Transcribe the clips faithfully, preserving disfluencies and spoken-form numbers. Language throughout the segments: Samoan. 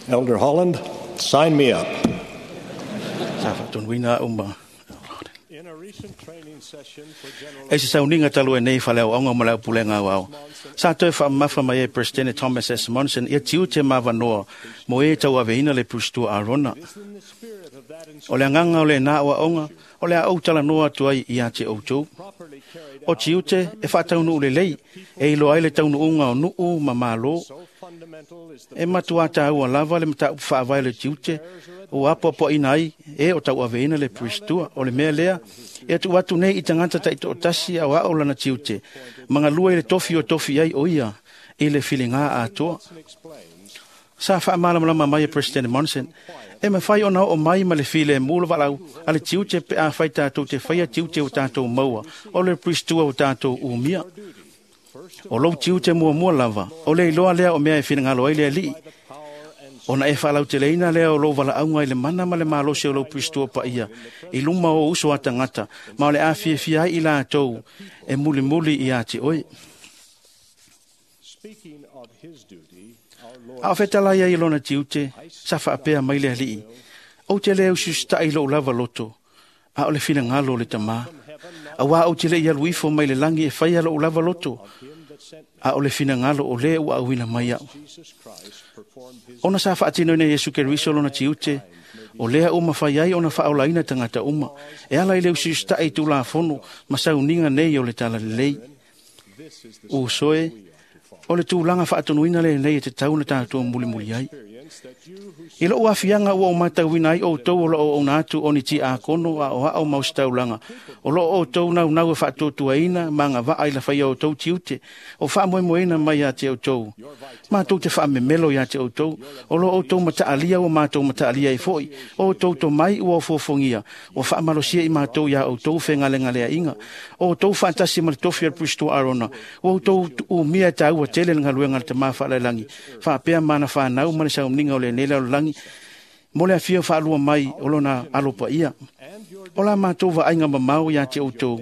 Elder Holland, sign me up. Sa faatonuina a'u ma E se sauniga talu ai nei faleaoaoga ma le aupulega aoao, sa toe faamamafa mai ai Peresetene Thomas S. Monson ia tiute ma avanoa mo e tauaveina le Pusitua Arona. O le agaga o lenā aoaoga o le a ou talanoa atu ai ia te outou. O tiute e faataunuu lelei e iloa ai le taunuuga o nuu ma malo. E matuā taua lava le mataupu faavae o le tiute ua apoapoaiina ai e o tauaveina le Pusitua. O le mea lea, e tuu atu nei i tagata taitoatasi aoao lana tiute, ma galue i le tofi o tofi ai o ia i le filiga atoa. Sa faamalamalama mai e President Monson, e mafai ona oo mai ma le filemu le valaau a le tiute pe afai tatou te faia tiute o tatou maua o le Pusitua o tatou umia. O lou tiute muamua lava, o le iloa lea o mea e finagalo ai le Alii, ona e faalauteleina lea o lou valaauga i le mana ma le malosi o lou Pusitua paia i luma o uso a tagata, ma o le a fiafia ai i latou e mulimuli ia te oe. A o fetalai ai i lona tiute, sa faapea mai le Alii, ou te le usiusita'i i lou lava loto, a o le finagalo o le Tamā. Auā ou te le i alu ifo mai le lagi e faia lou lava loto, a o le finagalo o lē ua auina mai a'u. Ona sa faatinoina e Iesu Keriso lona tiute, o lea ua mafai ai ona faaolaina tagata uma, e ala i le usiusita'i i tulafono ma sauniga nei o le talalelei. Uso e, o le tulaga faatonuina lenei e tatau ona tatou mulimuli ai. I lou afiaga ua ou matauina ai outou o loo auauna atu o ni tiakono aoao ma ositaulaga, o loo outou naunau e faatuatuaina ma agavaa i le faia o outou tiute o faamoemoeina mai ia te outou. Matou te faamemelo ia te outou, o loo outou mataalia ua matou mataalia ai foi, o outou tomai ua ofuofogia, ua faamalosia i matou ia outou fegalegaleaiga, o outou faatasi ma le tofi o le Pusitua Arona, ua outou umia e taua tele le galuega a le Tamā Faalaelagi, faapea ma ana fanau ma le sauniga o lenei lalolagi, mo le afio faalua mai o lona alo paia. O la matou vaaiga mamao ia te outou,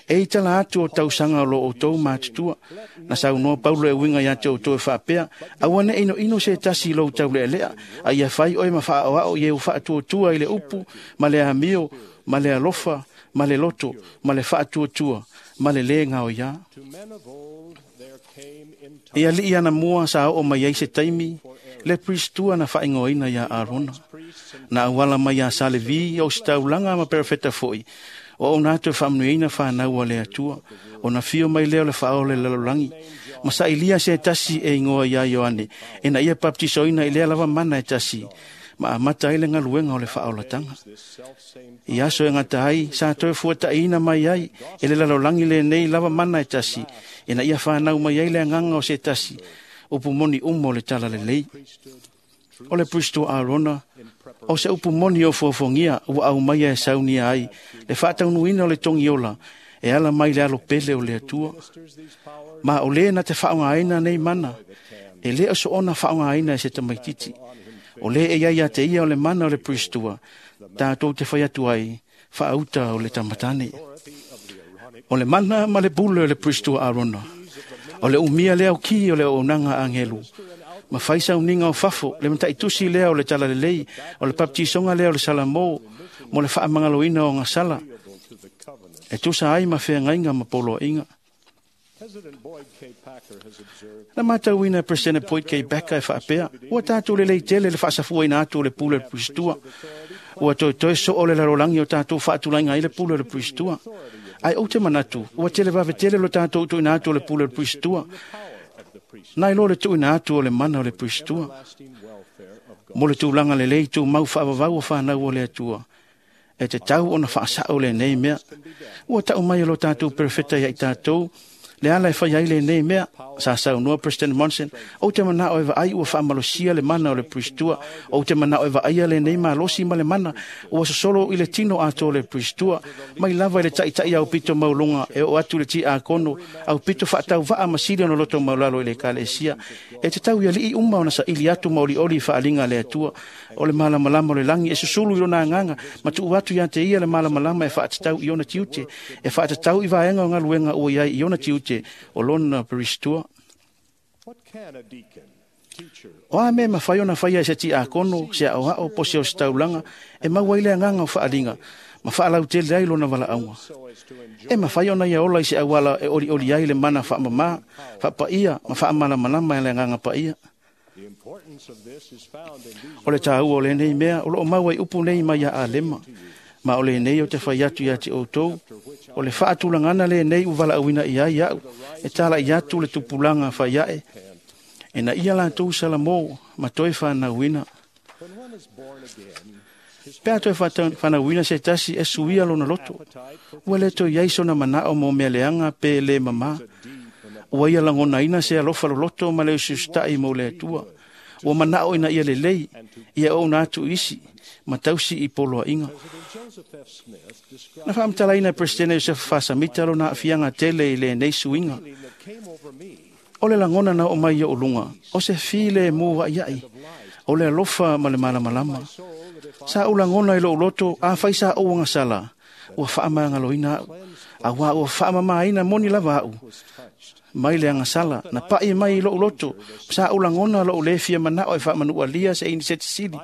e i tala atu o tausaga o lo outou matutua. Na saunoa Paulo e uiga ia te outou e faapea, aua ne inoino se tasi i lou taulealea, a ia fai oe ma faaoao i e ua faatuatua i le upu, ma le amio, ma le alofa, ma le loto, ma le faatuatua, ma le lē gaoiā. I alii anamua sa oo mai ai se taimi, le Pusitua na faaigoaina iā Arona. Na auala mai iā Salevi, o ositaulaga ma perofeta foi, o auauna atu e faamanuiaina fanau a le Atua, ona fio mai lea o le Faaola i le lalolagi, ma sailia se tasi e igoa iā Ioane, ina ia bapetisoina i lea lava mana e tasi, ma amata ai le galuega o le faaolataga. I aso e gata ai, sa toe fuata'iina mai ai e le lalolagi lenei lava mana e tasi, ina ia fanau mai ai le agaga o se tasi, upu moni uma o le talalelei. O le Pusitua Arona, o se upu moni o fuafuagia ua aumaia e saunia ai le faataunuuina o le togiola e ala mai le alo pele o le Atua. Ma o lē na te faaaogāina nei mana, e lē o soona faaaogāina e se tamaititi. O lē e iai ia te ia o le mana o le Pusitua, tatou te fai atu ai, faauta o le tamatane. O le mana ma le pule o le Pusitua Arona, o le umia lea o ki o le auaunaga a agelu, ma fai sauniga o fafo, le mataitusi lea o le talalelei, o le bapetisoga lea o le salamō, mo le faamagaloina o gasala, e tusa ai ma feagaiga ma poloaiga. Na matauina e Peresetene Boyd K. Packer e faapea, ua tatou lelei tele le faasafuaina atu o le pule o le Pusitua. Ua toetoe soo le lalolagi o tatou faatulaiga ai le pule o le Pusitua. Ae ou te manatu, ua televave tele lo tatou tuuina atu o le pule o le Pusitua, nai lo le tuuina atu o le mana o le Pusitua. Mo le tulaga lelei tumau faavavau o fanau o le Atua, e tatau ona faasao lenei mea. Ua tau mai e lo tatou perofeta ia i tatou, le ala e fai ai lenei mea. Sa saunoa President Monson, ou te manao e vaai ua faamalosia le mana o le Pusitua, ou te manao e vaaia lenei malosi ma le mana, ua sosolo i le tino atoa o le Pusitua, mai lava i le ta'ita'i aupito maualuga e oo atu i le tiakono, aupito faatauvaa ma sili ona loto maualalo i le Ekalesia. E tatau i alii uma ona saili atu ma olioli i faaaliga a le Atua, o le malamalama o le lagi e susulu i lona agaga, ma tuu atu ia te ia le malamalama e faatatau i ona tiute, e faatatau i vaega o galuega ua i ai i ona tiute o lona Pusitua. O a mea e mafai ona faia e se tiakono, se aoao po o se ositaulaga e maua ai le agaga o faaliga ma faalautele ai lona valaauga. E mafai ona ia ola i se auala e olioli ai le mana faamamā, faapaia ma faamalamalama e le agaga paia. O le tāua o lenei mea o loo maua i upu nei mai ia Alema, ma o lenei o te fai atu ia te outou, o le faatulagana lenei ua valaauina i ai au, e talai atu le tupulaga faiae, ina ia latou salamo ma toe fanauina. Pe a toe fanauina se tasi e suia lona loto, ua le toe iai sona manao mo mea leaga pe le mamā. Ua ia lagonaina se alofa loloto ma le usiusitai mo le Atua. Ua manao ina ia lelei, ia ouna atu isi, ma tausi i poloaiga. Na faamatalaina e Peresetene Iosefa Fasamita lona aafiaga tele i lenei suiga. O le lagona na oo mai i ou luga, o se filemu aiai, o le alofa ma le malamalama. Sa ou lagona i lou loto, afai sa ou agasala, ua faamagaloina au, auā ua faamamaina moni lava au. Mai le agasala, na pai mai i lou loto, sa ou lagona lou le fia manao e faamanualia se iniseti sili,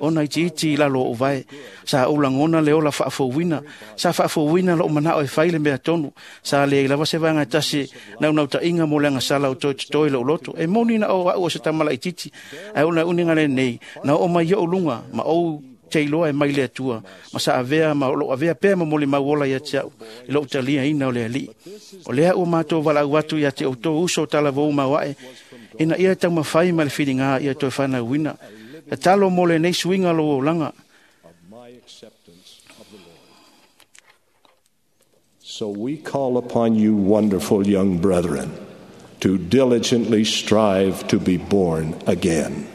ona itiiti i lalo o ou vae. Sa ou lagona le ola faafouina, sa faafouina lou manao e fai le mea tonu, sa leai lava se vaega e tasi naunautaiga mo le agasala o toe totoe lou loto. E moni na o au o se tama laitiiti, ae o le uniga lenei, na oo mai i ou luga, ma ou te iloa e mai le Atua, ma sa avea ma o lou avea pea ma molimau ola ia te au, i lou taliaina o le Alii. O lea ua matou valaau atu ia te outou uso o talavou maoae, ina ia taumafai ma le filiga ia toe fanauina. Tatalo mo lenei suiga o lou olaga. So we call upon you, wonderful young brethren, to diligently strive to be born again.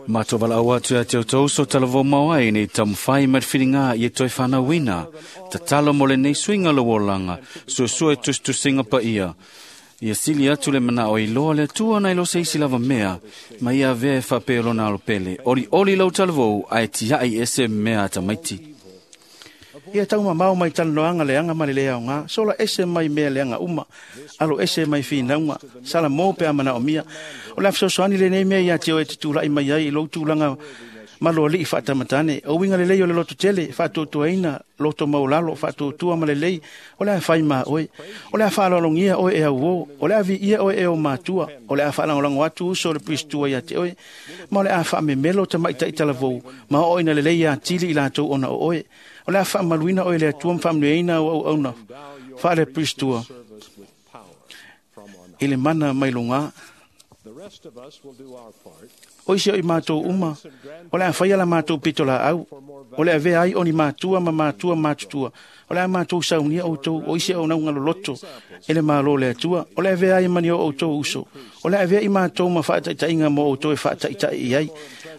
Matou valaau atu ia te outou uso talavou maoae nei taumafai ma le filiga ia toe fanauina. Tatalo mo lenei suiga lou olaga, suesue tusitusiga paia. Ia sili atu le manao i loa le Atua nai lo se isi lava mea, ma ia avea e faapea o lona alopele. Olioli lau talavou, ae tiai ese mea a tamaiti. Ia taumamao mai talanoaga leaga ma le le aoga, sola ese mai mea leaga uma, alo ese mai finauga, salamo pe a manaomia. O le a fesoasoani lenei mea ia te oe e te tulai mai ai i lou tulaga maloalii faatamatane. O uiga lelei o le loto tele, faatuatuaina loto maulalo, faatuatua ma lelei, o le a fai ma oe. O le a faaaloalogia oe e auō, o le a viia oe e o matua, o le a faalagolago atu uso o le Piristua ia te oe, ma o le a faamemelo tamaitai talavou, ma oo ina lelei atili i latou ona o oe. O le a faamaluina oe le Atua ma faamanuiaina au auauna faale Piristua i le mana mai luga. O isi o i matou uma, o le a faia la matou pito laau, o le avea ai o ni matua ma matua matutua, o le a matou saunia outou, o isi o nauga loloto e le malo le Atua, o le avea ai mani o outou uso, o le avea i matou ma faataitaiga mo outou e faataitai i ai,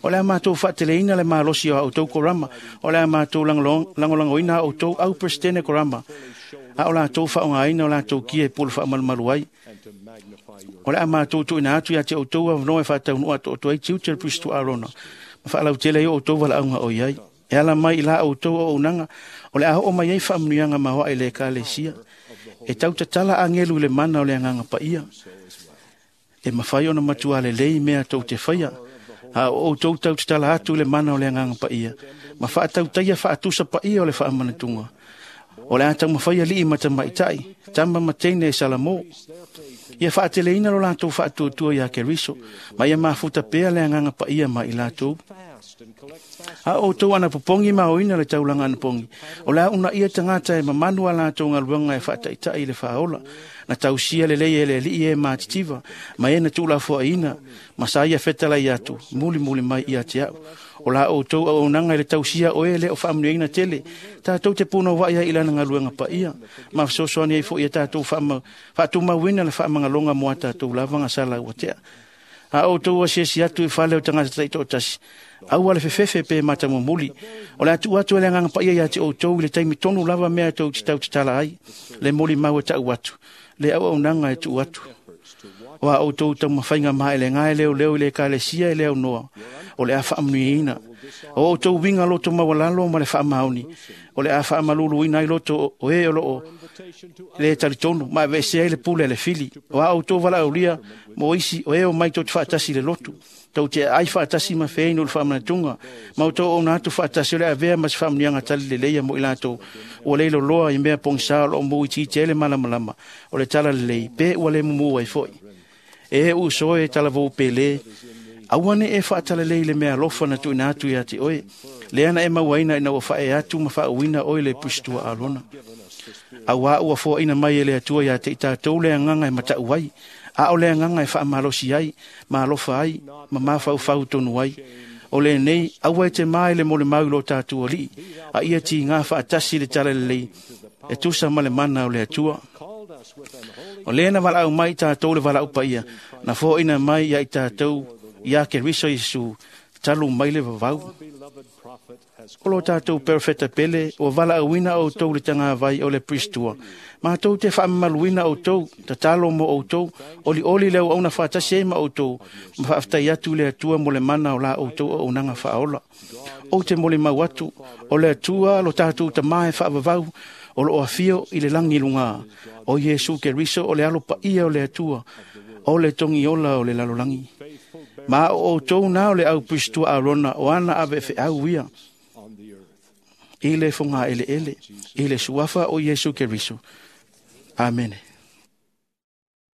o le a matou faateleina le malosi o a outou korama, o le a matou lagolagoina a outou au Peresetene korama, a o latou faaaogaina o latou kia e pule faamalumalu ai. O le a matou tuuina atu ia te outou avanoa e faataunuu atoatoa ai tiute o le Pirisito Arona, ma faalautele ai o outou valaauga o i ai. E ala mai i la outou auaunaga, o le a oo mai ai faamanuiaga maoae i le Ekalesia. E tautatala agelu i le mana o le agaga paia. E mafai ona matua lelei mea tou te faia, a o outou tautatala atu i le mana o le agaga paia, ma faatautaia faatusa paia o le faamanatuga. O le a taumafai alii ma tamaitai, tama ma teine e salamo. Ia faateleina lo latou faatuatua ia Keriso, ma ia mafuta pea le agaga paia ma i latou. A outou anapopogi ma aoina le taulaga anapogi, o le a uunaia tagata e mamanu a latou galuega e faataitai i le faaola, na tausia lelei e le Alii e matitiva, ma e na tuulafoaiina, ma sa ia fetalai atu, mulimuli mai ia te au. O la outou auaunaga i le tausia o e le o faamanuiaina tele, tatou te punouai ai i lana galuega paia, ma fesoasoani ai foi ia tatou faatumauina le faamagaloga mo a tatou lava gasala ua tea. A outou asiasi atu i fale o tagata taitoatasi, aua le fefefe pe matamumuli, o le a tuu atu e le agaga paia ia te outou i le taimi tonu lava mea tou te tautatala ai, le molimau e tau atu, le auaunaga e tuu atu. O a outou taumafaiga maelega e leoleo i le ekalesia e le aunoa, o le a faamanuiaina. O outou uiga loto maualalo ma le faamaoni, o le a faamaluluina ai loto o e o loo le talitonu ma aveesea ai le pule a le fili. O a outou valaaulia mo isi o e omai tou te faatasi i le lotu, tou te aai faatasi ma feinu le faamanatuga, ma outou auauna atu faatasi o le avea ma se faamanuiaga talileleia mo i latou ua le iloloa i mea pogisa o loo mou itiiti ai le malamalama o le talalelei, pe ua le mumu ai foi. E uso e talavou pele, aua ne e faatalelei le mea alofa na tuuina atu ia te oe, lea na e mauaina ina ua faaee atu ma faauuina oe le Pusitua Alona. Auā ua foaina mai e le Atua ia te i tatou le agaga e mataʻu ai, a o le agaga e faamalosi ai, ma alofa ai, ma mafaufau tonu ai. O lenei, aua e te ma i le molimau i lo tatou Alii, a ia tigā faatasi le talalelei e tusa ma le mana o le Atua. O lea na valaau mai i tatou le valaau paia, na foaina mai ia i tatou ia Keriso Iesu, talu mai le vavau. O lo tatou perofeta pele, ua valaauina outou le tagavai o le Pusitua. Matou te faamamaluina outou, tatalo mo outou, olioli le auauna faatasi ai ma outou, ma faafetai atu i le Atua mo le mana o la outou auaunaga faaola. Ou te molimau atu, o le Atua lo tatou Tamā e faavavau, o loo afio i le lagi luga, o Iesu Keriso o le alo paia o le Atua, o le togiola o le lalolagi. Ma o outou na o le au Pusitua Arona o ana aveefeau ia, i le fogaeleele, i le suafa o Iesu Keriso. Amene.